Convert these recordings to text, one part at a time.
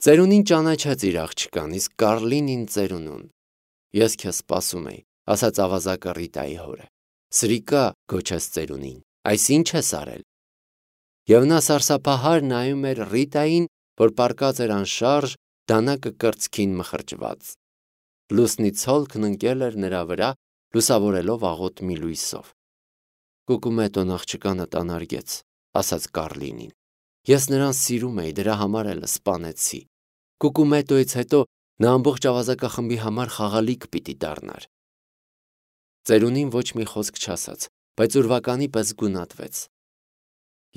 Ծերունին ճանաչեց իր աղջկան, իսկ Կարլինին ծերունուն։ Ես քեզ սպասում էի, ասաց ավազակը Ռիտայի հորը։ Սրիկա, գոչեց ծերունին, այս ինչ ես արել։ Եվ նա սարսափահար նայում էր Ռիտային, որ պառկած էր անշարժ, դանակը կրծքին մխրճված։ Լուսնի ցոլքն ընկել էր նրա վրա, լուսավորելով աղոտ մի լույսով։ Կուկումետոն աղջկանը տանարգեց, ասաց Կարլինին։ Ես նրան սիրում էի, դրա համար էլ սպանեցի։ Կուկումետոյից հետո նա ամբողջ ավազակախմբի համար խաղալիք պիտի դառնար։ Ծերունին ոչ մի խոսք չասաց, բայց ուրվականի պես գունատվեց։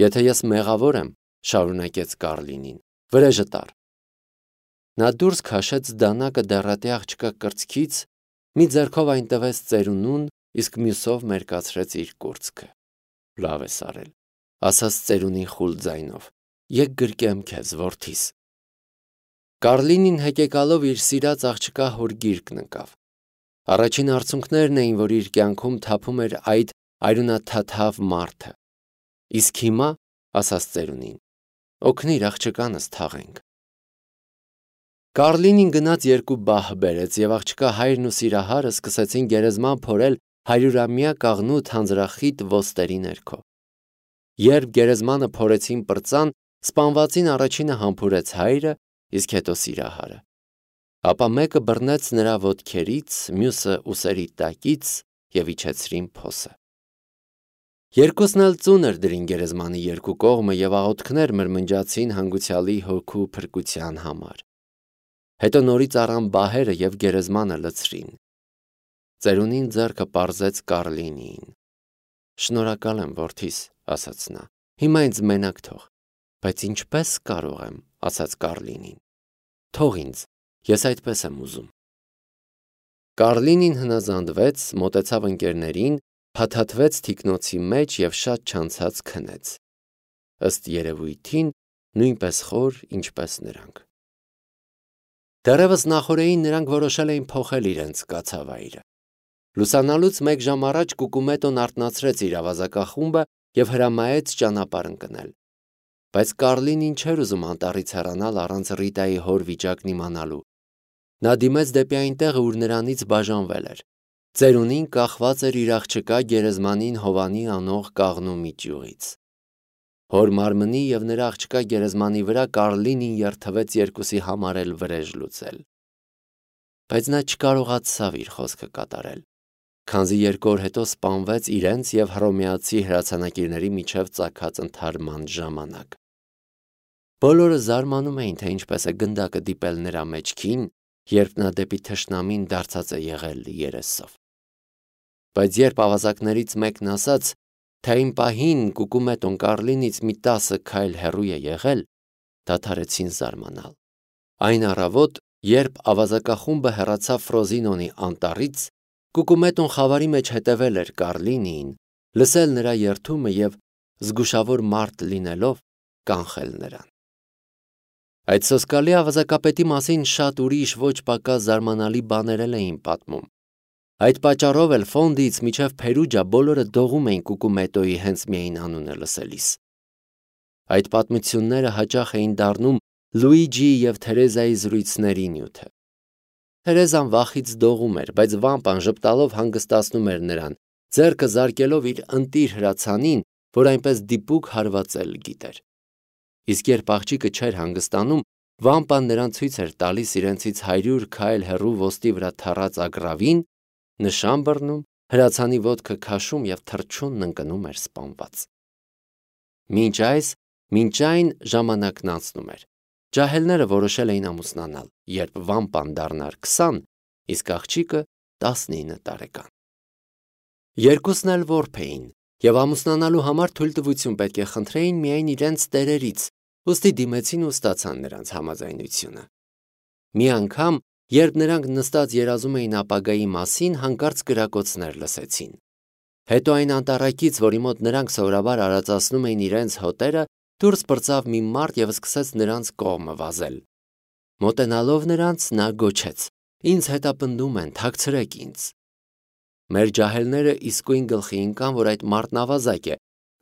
Եթե ես մեղավոր եմ, շարունակեց Կարլինին, վրեժը տար։ Նա դուրս քաշեց դանակը դեռատի աղջկա կրծքից, մի ձեռքով այն տվեց ծերունուն, իսկ մյուսով մերկացրեց իր կուրծքը։ Լավ ես արել, ասաց ծերունին խուլ ձայնով, եկ գրկեմ քեզ, որդիս։ Կարլինին հեկեկալով իր սիրած աղջկա հոր գիրկն ընկավ։ Առաջին արցունքներն էին, որ իր կյանքում թափում էր այդ արյունաթաթավ մարդը։ Իսկ հիմա, ասաց ծերունին, օգնիր աղջկանս թաղենք։ Կարլինին գնաց երկու բահ բերեց, եւ աղջկա հայրն ու սիրահարը սկսեցին գերեզման փորել 100-ամյա կաղնու թանձրախիտ ոստերի ներքո։ Երբ գերեզմանը փորեցին պրծան, սպանվածին առաջինը համբուրեց հայրը, իսկ հետո սիրահարը։ Ապա մեկը բռնեց նրա ոտքերից, մյուսը ուսերի տակից եւ իջեցրին փոսը։ Երկուսն էլ ծունր դրին գերեզմանի երկու կողմը եւ աղոթքներ մրմնջացին հանգուցյալի հոգու փրկության համար։ Հետո նորից առան բահերը եւ գերեզմանը լցրին։ Ծերունին ձեռքը պարզեց Կարլինին։ Շնորհակալ եմ, որդիս, ասաց նա։ Հիմա ինձ մենակ թող։ Բայց ինչպես կարող եմ, ասաց Կարլինին։ Թող ինձ, ես այդպես եմ ուզում։ Կարլինին հնազանդվեց, մոտեցավ ընկերներին, փաթաթվեց թիկնոցի մեջ եւ շատ չանցած քնեց։ Ըստ երևույթին նույնպես խոր, ինչպես նրանք։ Դեռևս նախօրեին նրանք որոշել էին փոխել իրենց կացավայրը։ Լուսանալուց մեկ ժամ առաջ Կուկումետոն արթնացրեց իր ավազակախումբը եւ հրամայեց ճանապարհ ընկնել։ Բայց Կարլինին չէր ուզում անտառից հեռանալ առանց Ռիտայի հոր վիճակն իմանալու։ Նա դիմեց դեպի այն տեղը, ուր նրանից բաժանվել էր։ Ծերունին կախված էր իր աղջկա գերեզմանին Հովանի անող կաղնու միջյուղից։ Հոր մարմնի եւ նրա աղջկա գերեզմանի վրա Կարլինին երթվեց երկուսի համար էլ վրեժ լուծել։ Բայց նա չկարողացավ իր խոսքը կատարել, քանզի 2 օր հետո սպանվեց իրենց եւ հռոմեացի հրացանակիրների միջև ծագած ընդհարման ժամանակ։ Բոլորը զարմանում էին, թե ինչպես է գնդակը դիպել նրա մեջքին, երբ նա դեպի թշնամին դարձած է եղել երեսով։ Բայց երբ ավազակներից մեկն ասաց, թե այն պահին Կուկումետոն Կարլինից մի 10 քայլ հեռու է եղել, դադարեցին զարմանալ։ Այն առավոտ, երբ ավազակախումբը հեռացավ Ֆրոզինոնի անտառից, Կուկումետոն խավարի մեջ հետևել էր Կարլինին, լսել նրա երդումը եւ զգուշավոր մարդ լինելով կանխել նրան։ Այդ սոսկալի ավազակապետի մասին շատ ուրիշ ոչ պակաս զարմանալի բաներ էին պատմում։ Այդ պատճառով էլ Ֆոնդից մինչև Փերուջա բոլորը դողում էին Կուկումետոյի հենց միայն անունը լսելիս։ Այդ պատմությունները հաճախ էին դառնում Լուիջիի եւ Թերեզայի զրույցների նյութը։ Թերեզան վախից դողում էր, բայց վամպան ժպտալով հանգստացնում էր նրան, ձեռքը զարկելով իր ընտիր հրացանին, որ այնպես դիպուկ հարվածել գիտեր։ Իսկ երբ աղջիկը չէր հանգստանում, վամպան նրան ցույց էր տալիս իրենցից 100 քայլ հեռու ոստի վրա թռած ագռավին, նշան բռնում, հրացանի ոտքը քաշում եւ թռչունն ընկնում էր սպանված։ Մինչ այն ժամանակն անցնում էր։ Ջահելները որոշել էին ամուսնանալ, երբ վամպան դառնար 20, իսկ աղջիկը 19 տարեկան։ Երկուսն էլ որբ էին եւ ամուսնանալու համար թույլտվություն պետք է խնդրեին միայն իրենց տերերից, ուստի դիմեցին ու ստացան նրանց համաձայնությունը։ Մի անգամ, երբ նրանք նստած երազում էին ապագայի մասին, հանկարծ կրակոցներ լսեցին։ Հետո այն անտառակից, որի մոտ նրանք սովորաբար արածացնում էին իրենց հոտերը, դուրս պրծավ մի մարդ եւ սկսեց նրանց կողմը վազել։ Մոտենալով նրանց նա գոչեց. «Ինձ հետապնդում են, թաքցրեք ինձ»։ Մեր ջահելները իսկույն գլխի ընկան, որ այդ մարդն ավազակ է,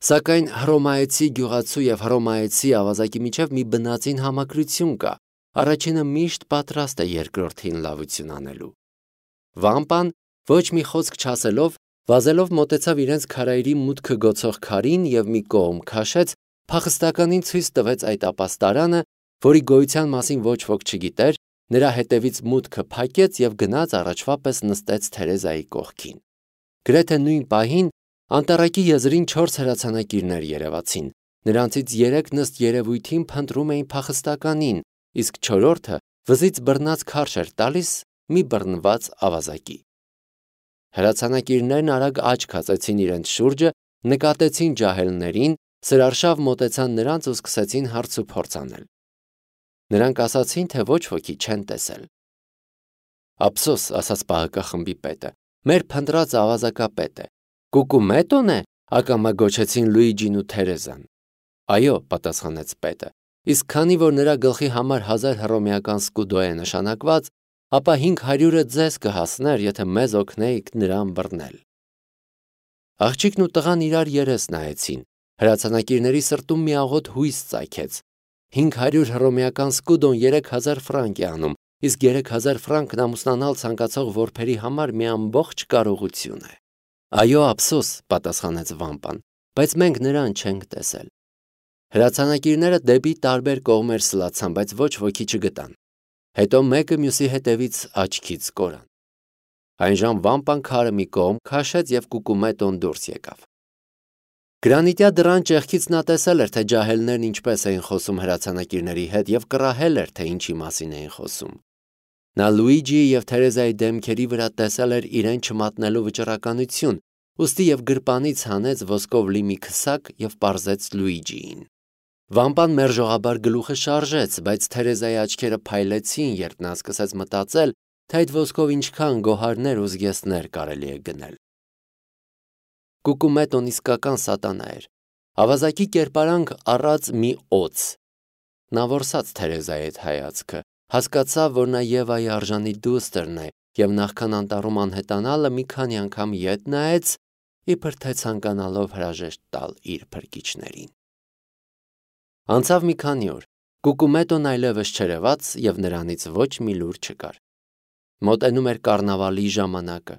սակայն հռոմայեցի գյուղացու եւ հռոմայեցի ավազակի միջև մի բնածին համակրություն կա, առաջինը միշտ պատրաստ է երկրորդին լավություն անելու։ Վամպան ոչ մի խոսք չասելով, վազելով մոտեցավ իրենց քարայրի մուտքը գոցող քարին և մի կողմ քաշեց, փախստականին ցույց տվեց այդ ապաստարանը, որի գոյության մասին ոչ ոք չգիտեր, նրա հետևից մուտքը փակեց և գնաց առաջվա պես նստեց Թերեզայի կողքին։ Գրեթե նույն պահին անտառակի եզրին 4 հրացանակիրներ երևացին, նրանցից 3-ն ըստ երևույթին փնտրում էին փախստականին, իսկ 4-ը վզից բռնած քարշ էր տալիս մի բռնված ավազակի։ Հրացանակիրներն արագ աչք հացեցին իրենց շուրջը, նկատեցին ջահելներին, սրարշավ մոտեցան նրանց ու սկսեցին հարց ու փորձ անել։ Նրանք ասացին, թե ոչ ոքի չեն տեսել։ Ափսոս, ասաց պահակախմբի պետը, մեր փնտրած ավազակապետ է։ Կուկումետոն է, ակամա գոչեցին Լուիջին ու Թերեզան։ Այո, պատասխանեց պետը, իսկ քանի որ նրա գլխի համար 1000 հռոմեական սկուդո է նշանակված, ապա 500-ը ձեզ կհասներ, եթե մեզ օգնեիք նրան բռնել։ Աղջիկն ու տղան իրար երես նայեցին, հրացանակիրների սրտում մի աղոտ հույս ծագեց։ 500 հռոմեական սկուդոն 3000 ֆրանկ է անում, իսկ 3000 ֆրանկն ամուսնանալ ցանկացող որբերի համար մի ամբողջ կարողություն է։ Այո, ափսոս, պատասխանեց Վամպան, բայց մենք նրան չենք տեսել։ Հրացանակիրները դեպի տարբեր կողմեր սլացան, բայց ոչ ոքի չգտան։ Հետո մեկը մյուսի հետևից աչքից կորան։ Այնժամ Վամպան քարը մի կողմ քաշեց և Կուկումետոն դուրս եկավ։ Գրանիտյա դռան ճեղքից նա տեսել էր, թե ջահելներն ինչպես էին խոսում հրացանակիրների հետ և կռահել էր, թե ինչի մասին էին խոսում։ Նա Լուիջիի և Թերեզայի դեմքերի վրա տեսել էր իրեն չմատնելու վճռականություն, ուստի և գրպանից հանեց ոսկով լի մի քսակ և պարզեց Լուիջիին։ Վամպան մերժողաբար գլուխը շարժեց, բայց Թերեզայի աչքերը փայլեցին, երբ նա սկսեց մտածել, թե այդ ոսկով ինչքան գոհարներ ու զգեստներ կարելի է գնել։ Կուկումետոն իսկական սատանա էր։ Ավազակի կերպարանք առած մի օձ։ Նա որսաց Թերեզայի այդ հայացքը, հասկացավ, որ նա Եվայի արժանի դուստրն է և նախքան անտառում անհետանալը մի քանի անգամ ետ նայեց, իբր թե ցանկանալով հրաժեշտ տալ իր փրկիչներին։ Անցավ մի քանի օր, Կուկումետոն այլևս չերևաց և նրանից ոչ մի լուր չկար։ Մոտենում էր կառնավալի ժամանակը։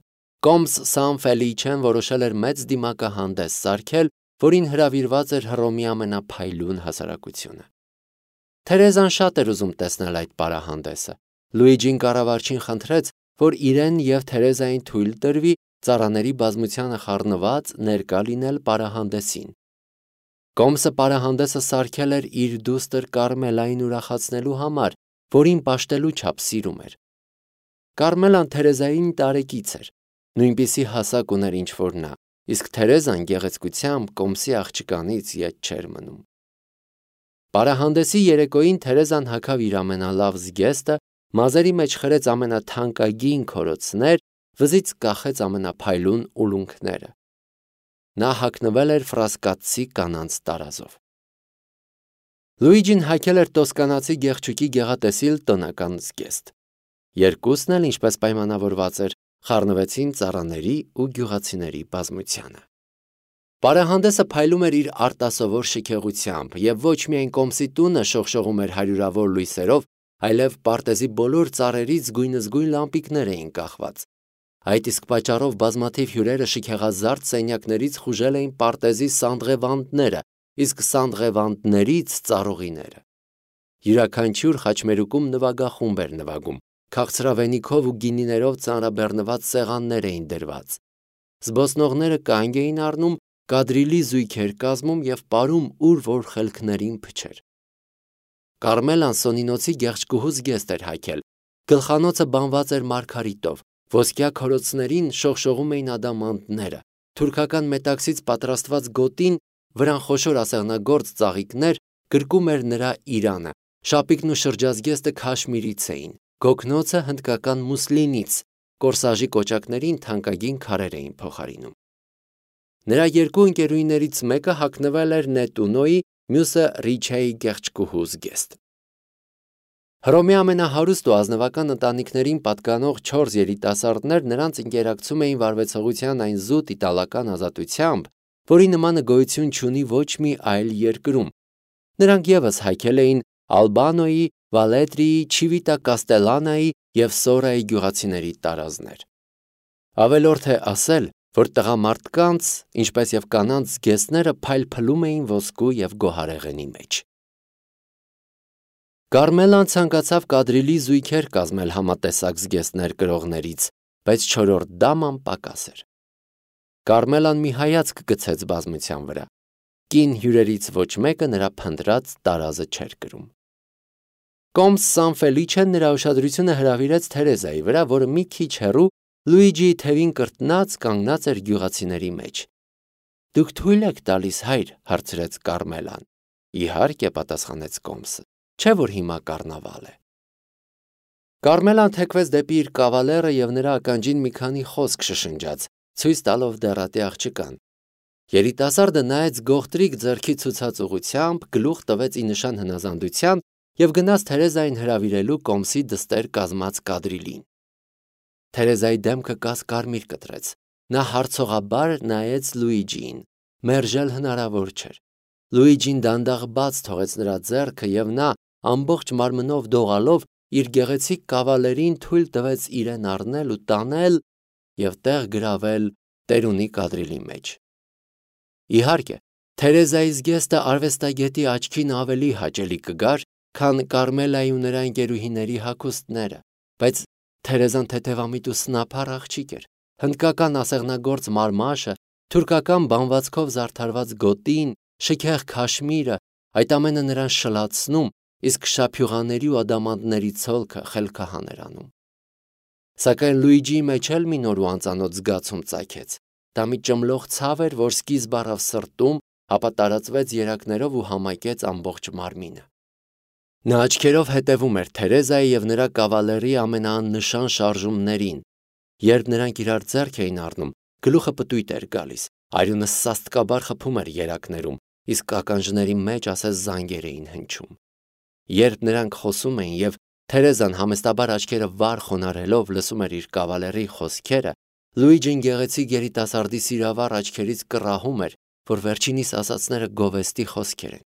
Կոմս Սան Ֆելիչեն որոշել էր մեծ դիմակահանդես սարքել, որին հրավիրված էր Հռոմի ամենափայլուն հասարակությունը։ Թերեզան շատ էր ուզում տեսնել այդ պարահանդեսը։ Լուիջին կառավարչին խնդրեց, որ իրեն և Թերեզային թույլ տրվի ծառաների բազմությանը խառնված ներկա լինել պարահանդեսին։ Կոմսը պարահանդեսը սարքել էր իր դուստր Կարմելային ուրախացնելու համար, որին պաշտելու չափ սիրում էր։ Կարմելան Թերեզային տարեկից էր, նույնպիսի հասակ ուներ ինչ որ նա, իսկ Թերեզան գեղեցկությամբ Կոմսի աղջկանից ետ չէր մնում։ Պարահանդեսի երեկոյին Թերեզան հագավ իր ամենալավ զգեստը, մազերի մեջ խրեց ամենաթանկագին քորոցներ, վզից կախեց ամենափայլուն ուլունքները։ Նա հագնվել էր ֆրասկացի կանանց տարազով։ Լուիջին հագել էր տոսկանացի գեղչուկի գեղատեսիլ տնական զգեստ։ Երկուսն էլ, ինչպես պայմանավորված էր, խառնվեցին ծառաների ու գյուղացիների բազմությանը։ Պարահանդեսը փայլում էր իր արտասովոր շքեղությամբ, և ոչ միայն Կոմսի տունը շողշողում էր հարյուրավոր լույսերով, այլև պարտեզի բոլոր ծառերից գույնզգույն լամպիկներ էին կախված։ Այդ իսկ պատճառով բազմաթիվ հյուրերը շքեղազարդ սենյակներից խուժել էին պարտեզի սանդղևանդները, իսկ սանդղևանդներից ծառուղիները։ Յուրաքանչյուր խաչմերուկում նվագախումբ էր նվագում, քաղցրավենիքով ու գինիներով ծանրաբեռնված սեղաններ էին դրված։ Զբոսնողները կանգ էին առնում, կադրիլի զույգեր կազմում և պարում ուր որ խելքներին փչեր։ Կարմելան Սոնինոցի գեղեցկուհու զգեստ էր հագել, գլխանոցը բանված էր մարգարիտով, ոսկյա քորոցներին շողշողում էին ադամանդները, թուրքական մետաքսից պատրաստված գոտին, վրան խոշոր ասեղնագործ ծաղիկներ, գրկում էր նրա իրանը, շապիկն ու շրջազգեստը քաշմիրից էին, գոգնոցը հնդկական մուսլինից, կորսաժի կոճակներին թանկագին քարեր էին փոխարինում։ Նրա երկու ընկերուհիներից մեկը հագնվել էր Նետունոյի, մյուսը Ռիչեի գեղեցկուհու զգեստ։ Հռոմի ամենահարուստ ու ազնվական ընտանիքներին պատկանող 4 երիտասարդներ նրանց ընկերակցում էին վարվեցողության այն զուտ իտալական ազատությամբ, որի նմանը գոյություն չունի ոչ մի այլ երկրում։ Նրանք ևս հագել էին Ալբանոյի, Վալետրիի, Չիվիտա Կաստելանայի և Սորայի գյուղացիների տարազներ։ Ավելորդ է ասել, որ տղամարդկանց, ինչպես և կանանց զգեստները փայլփլում էին ոսկու և գոհարեղենի մեջ։ Կարմելան ցանկացավ կադրիլի զույգեր կազմել համատեսակ զգեստներ կրողներից, բայց չորրորդ դաման պակաս էր։ Կարմելան մի հայացք գցեց բազմության վրա։ Կին հյուրերից ոչ մեկը նրա փնտրած տարազը չէր կրում։ Կոմս Սան Ֆելիչեն նրա ուշադրությունը հրավիրեց Թերեզայի վրա, որը մի քիչ հեռու Լուիջիի թևին կրտնած կանգնած էր գյուղացիների մեջ։ Դուք թույլ եք տալիս, հայր, հարցրեց Կարմելան։ Իհարկե, պատասխանեց Կոմսը, չէ՞ որ հիմա կառնավալ է։ Կարմելան թեքվեց դեպի իր կավալերը և նրա ականջին մի քանի խոսք շշնջաց, ցույց տալով դեռատի աղջկան։ Երիտասարդը նայեց գողտրիկ ձեռքի ցուցած ուղությամբ, գլուխ տվեց ի նշան հնազանդության և գնաց Թերեզային հրավիրելու Կոմսի դստեր կազմած կադրիլին։ Թերեզայի դեմքը կասկարմիր կտրեց։ Նա հարցողաբար նայեց Լուիջիին։ Մերժել հնարավոր չէր։ Լուիջին դանդաղ բաց թողեց նրա ձեռքը և նա, ամբողջ մարմնով դողալով, իր գեղեցիկ կավալերին թույլ տվեց իրեն առնել ու տանել և տեղ գրավել տերունի կադրիլի մեջ։ Իհարկե, Թերեզայի զգեստը արվեստագետի աչքին ավելի հաճելի կգար, քան Կարմելայի ու նրա ընկերուհիների հագուստները, բայց Թերեզան թեթևամիտ ու սնափառ աղջիկ էր։ Հնդկական ասեղնագործ մարմաշը, թուրքական բանվածքով զարդարված գոտին, շքեղ քաշմիրը, այդ ամենը նրան շլացնում, իսկ շափյուղաների ու ադամանդների ցոլքը խելքահան էր անում։ Սակայն Լուիջիի մեջ էլ մի նոր ու անծանոթ զգացում ծագեց։ Դա մի ճմլող ցավ էր, որ սկիզբ առավ սրտում, ապա տարածվեց երակներով ու համակեց ամբողջ մարմինը։ Նա աչքերով հետևում էր Թերեզայի և նրա կավալերի ամենաաննշան շարժումներին։ Երբ նրանք իրար ձեռք էին առնում, գլուխը պտույտ էր գալիս, արյունը սաստկաբար խփում էր երակներում, իսկ ականջների մեջ ասես զանգեր էին հնչում։ Երբ նրանք խոսում էին և Թերեզան համեստաբար աչքերը վար խոնարհելով լսում էր իր կավալերի խոսքերը, Լուիջին գեղեցիկ երիտասարդի սիրավառ աչքերից կռահում էր, որ վերջինիս ասածները գովեստի խոսքեր են։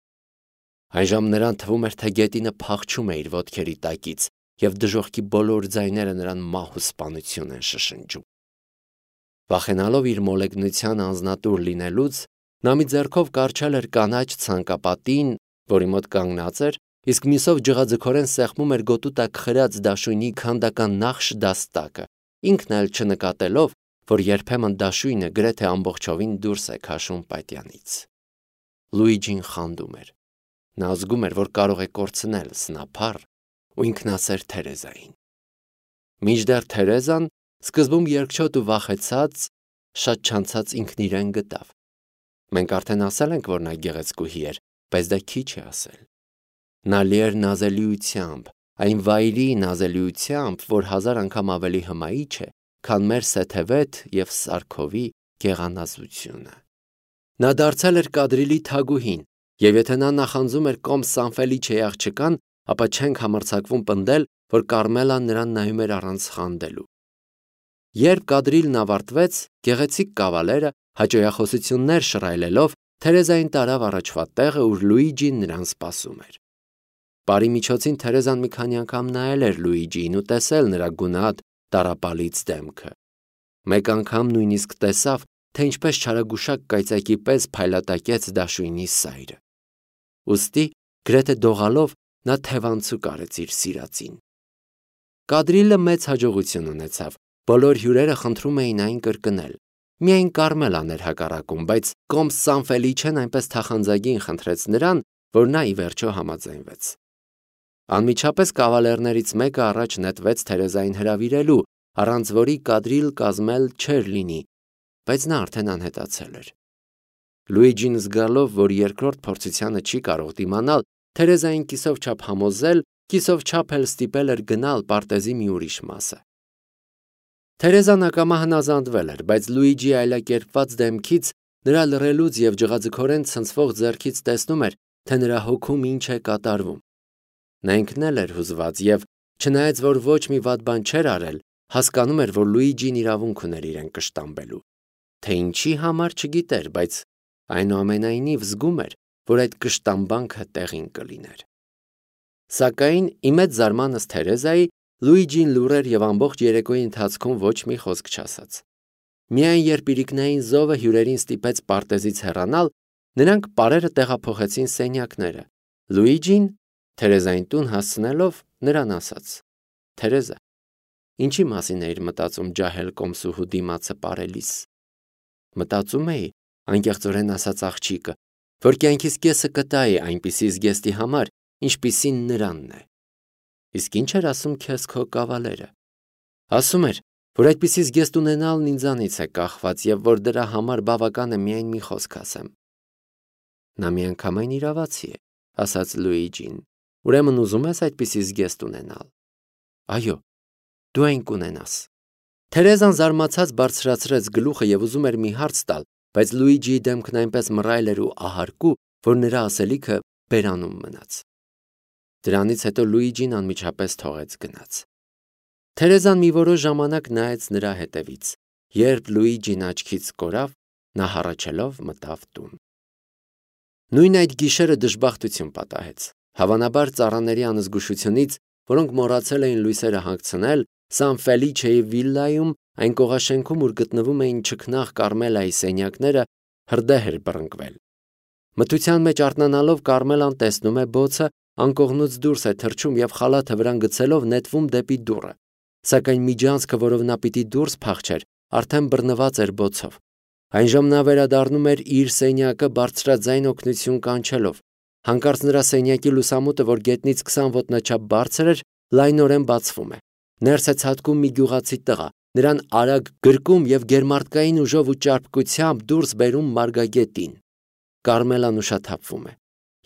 Այժմ նրան թվում էր, թե գետինը փախչում է իր ոտքերի տակից, և դժոխքի բոլոր ձայները նրան մահ ու սպանություն են շշնջում։ Վախենալով իր մոլեգնության անձնատուր լինելուց, նա մի ձեռքով կառչել էր կանաչ ցանկապատին, որի մոտ կանգնած էր, իսկ մյուսով ջղաձգորեն սեղմում էր գոտու տակ խրած դաշույնի քանդական նախշ դաստակը, ինքն էլ չնկատելով, որ երբեմն դաշույնը գրեթե ամբողջովին դուրս է քաշում պատյանից։ Լուիջին խանդում էր։ Նա զգում էր, որ կարող է կորցնել սնափառ ու ինքնասեր Թերեզային։ Մինչդեռ Թերեզան սկզբում երկչոտ ու վախեցած, շատ չանցած ինքն իրեն գտավ։ Մենք արդեն ասել ենք, որ նա գեղեցկուհի էր, բայց դա քիչ է ասել։ Նա լի էր նազելիությամբ, այն վայրի նազելիությամբ, որ 1000 անգամ ավելի հմայիչ է, քան մեր Սեթևեթ և Սարքովի գեղանազությունը։ Նա դարձել էր կադրիլի թագուհին, և եթե նա նախանձում էր Կոմս Սան Ֆելիչեի աղջկան, ապա չենք համարձակվում պնդել, որ Կարմելան նրան նայում էր առանց խանդելու։ Երբ կադրիլն ավարտվեց, գեղեցիկ կավալերը, հաճոյախոսություններ շռայլելով, Թերեզային տարավ առաջվա տեղը, ուր Լուիջին նրան սպասում էր։ Բարի միջոցին Թերեզան մի քանի անգամ նայել էր Լուիջիին ու տեսել նրա գունատ տառապալից դեմքը։ Մեկ անգամ նույնիսկ տեսավ, թե ինչպես չարագուշակ կայծակի պես փայլատակեց դաշույնի սայրը։ Ուստի, գրեթե դողալով, նա թևանցուկ արեց իր սիրածին։ Կադրիլը մեծ հաջողություն ունեցավ, բոլոր հյուրերը խնդրում էին այն կրկնել։ Միայն Կարմելան էր հակառակում, բայց Կոմս Սան Ֆելիչեն այնպես թախանձագին խնդրեց նրան, որ նա ի վերջո համաձայնվեց։ Անմիջապես կավալերներից մեկը առաջ նետվեց Թերեզային հրավիրելու, առանց որի կադրիլ կազմել չէր լինի, բայց նա արդեն անհետացել էր։ Լուիջին զգալով, որ երկրորդ փորձությանը չի կարող դիմանալ, Թերեզային կիսով չափ համոզել, կիսով չափ էլ ստիպել էր գնալ պարտեզի մի ուրիշ մասը։ Թերեզան ակամա հնազանդվել էր, բայց Լուիջիի այլակերպված դեմքից, նրա լռելուց և ջղաձգորեն ցնցվող ձեռքից տեսնում էր, թե նրա հոգում ինչ է կատարվում։ Նա ինքն էլ էր հուզված և, չնայած որ ոչ մի վատ բան չէր արել, հասկանում էր, որ Լուիջին իրավունք ուներ իրեն կշտամբելու։ Թե ինչի համար չգիտեր, բայց այնուամենայնիվ զգում էր, որ այդ կշտամբանքը տեղին կլիներ։ Սակայն ի մեծ զարմանս Թերեզայի Լուիջին լուռ էր եւ ամբողջ երեկոյի ընթացքում ոչ մի խոսք չասաց։ Միայն երբ իրիկնային զովը հյուրերին ստիպեց պարտեզից հեռանալ, նրանք պարերը տեղափոխեցին սենյակները։ Լուիջին, Թերեզային տուն հասցնելով, նրան ասաց. Թերեզա, ինչի մասին էիր մտածում ջահել կոմսուհու դիմացը պարելիս։ Մտածում էի, անկեղծորեն ասաց աղջիկը, որ կյանքիս կեսը կտայի այնպիսի զգեստի համար, ինչպիսին նրանն է։ Իսկ ինչ էր ասում քեզ քո կավալերը։ Ասում էր, որ այդպիսի զգեստ ունենալն ինձանից է կախված եւ որ դրա համար բավական է միայն մի խոսք ասեմ։ Նա միանգամայն իրավացի է, ասաց Լուիջին։ Ուրեմն ուզում ես այդպիսի զգեստ ունենալ։ Այո, դու այն կունենաս։ Թերեզան զարմացած բարձրացրեց գլուխը եւ ուզում էր մի հարց տալ, բայց Լուիջիի դեմքն այնպես մռայլ էր ու ահարկու, որ նրա ասելիքը բերանում մնաց։ Դրանից հետո Լուիջին անմիջապես թողեց գնաց։ Թերեզան մի որոշ ժամանակ նայեց նրա հետևից։ Երբ Լուիջին աչքից կորավ, նա հառաչելով մտավ տուն։ Նույն այդ գիշերը դժբախտություն պատահեց։ Հավանաբար ծառաների անզգուշությունից, որոնք մոռացել էին լույսերը հանգցնել, Սան Ֆելիչեի վիլլայում, այն կողաշենքում, ուր գտնվում էին չքնաղ Կարմելայի սենյակները, հրդեհ էր բռնկվել։ Մթության մեջ արթնանալով Կարմելան տեսնում է բոցը, անկողնուց դուրս է թռչում եւ խալաթը վրան գցելով նետվում դեպի դուռը։ Սակայն միջանցքը, որով նա պիտի դուրս փախչեր, արդեն բռնված էր բոցով։ Այնժամ նա վերադառնում էր իր սենյակը բարձրաձայն օգնություն կանչելով։ Հանկարծ նրա սենյակի լուսամուտը, որ գետնից 20 ոտնաչափ բարձր էր, լայնորեն բացվում է։ Ներս է ցատկում մի գյուղացի տղա, նրան արագ գրկում եւ գերմարտկային ուժով ու ճարպկությամբ դուրս բերում մարգագետին։ Կարմելան ուշաթափվում է։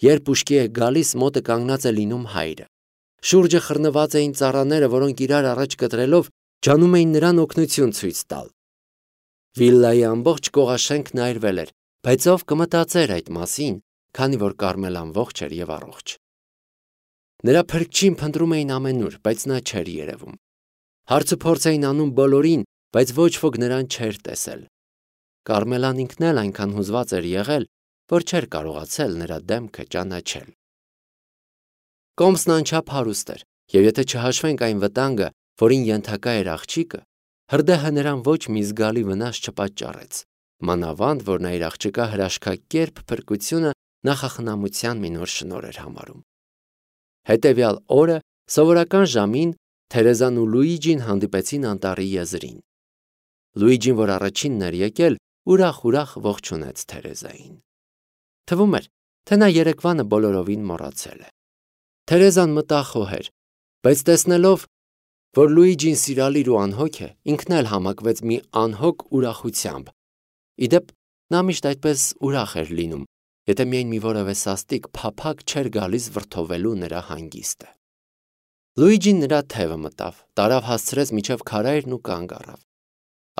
Երբ ուշքի է գալիս, մոտը կանգնած է լինում հայրը։ Շուրջը խռնված էին ծառաները, որոնք իրար առաջ կտրելով ջանում էին նրան օգնություն ցույց տալ։ Վիլլայի ամբողջ կողաշենքն այրվել էր, բայց ով կմտածեր այդ մասին, քանի որ Կարմելան ողջ էր եւ առողջ։ Նրա փրկչին փնտրում էին ամենուր, բայց նա չէր երևում։ Հարցուփորձ էին անում բոլորին, բայց ոչ ոք նրան չէր տեսել։ Կարմելան ինքն էլ այնքան հուզված էր եղել, որ չէր կարողացել նրա դեմքը ճանաչել։ Կոմսն անչափ հարուստ էր, եւ եթե չհաշվենք այն վտանգը, որին ենթակա էր աղջիկը, հրդեհը նրան ոչ մի զգալի վնաս չպատճառեց, մանավանդ որ նա իր աղջկա հրաշքակերպ փրկությունը նախախնամության մի նոր շնորհ էր համարում։ Հետևյալ օրը սովորական ժամին Թերեզան ու Լուիջին հանդիպեցին անտառի եզրին։ Լուիջին, որ առաջինն էր եկել, ուրախ ողջունեց Թերեզային։ Թվում էր, թե նա երեկվանը բոլորովին մոռացել է։ Թերեզան մտախոհ էր, բայց տեսնելով, որ Լուիջին սիրալիր ու անհոգ է, ինքն էլ համակվեց մի անհոգ ուրախությամբ։ Իդեպ, նա միշտ այդպես ուրախ էր լինում, եթե միայն մի որևէ սաստիկ փափագ չէր գալիս վրդովելու նրա հանգիստը։ Լուիջին նրա թևը մտավ, տարավ հասցրեց միջև քարայրն ու կանգ առավ։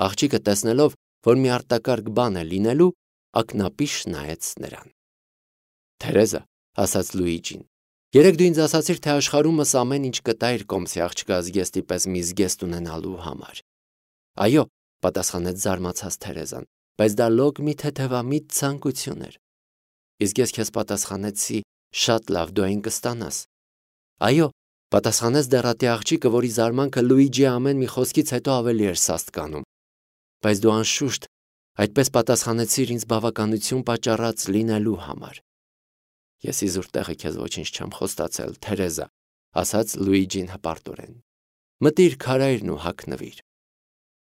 Աղջիկը տեսնելով, որ մի արտակարգ բան է լինելու, ակնապիշ նայեց նրան։ Թերեզա, ասաց Լուիջին, երեկ դու ինձ ասացիր, թե աշխարհումս ամեն ինչ կտայր կոմսի աղջկա զգեստի պես մի զգեստ ունենալու համար։ Այո, պատասխանեց զարմացած Թերեզան, բայց դա լոկ մի թեթևամիտ ցանկություն էր։ Իսկ ես քեզ պատասխանեցի, շատ լավ, դու այն կստանաս։ Այո, պատասխանեց դեռատի աղջիկը, որի զարմանքը Լուիջիի ամեն մի խոսքից հետո ավելի էր սաստկանում։ Բայց դու անշուշտ այդպես պատասխանեցիր ինձ բավականություն պատճառած լինելու համար։ Ես իզուր տեղը քեզ ոչինչ չեմ խոստացել, Թերեզա, ասաց Լուիջին հպարտորեն։ Մտիր քարայրն ու հագնվիր։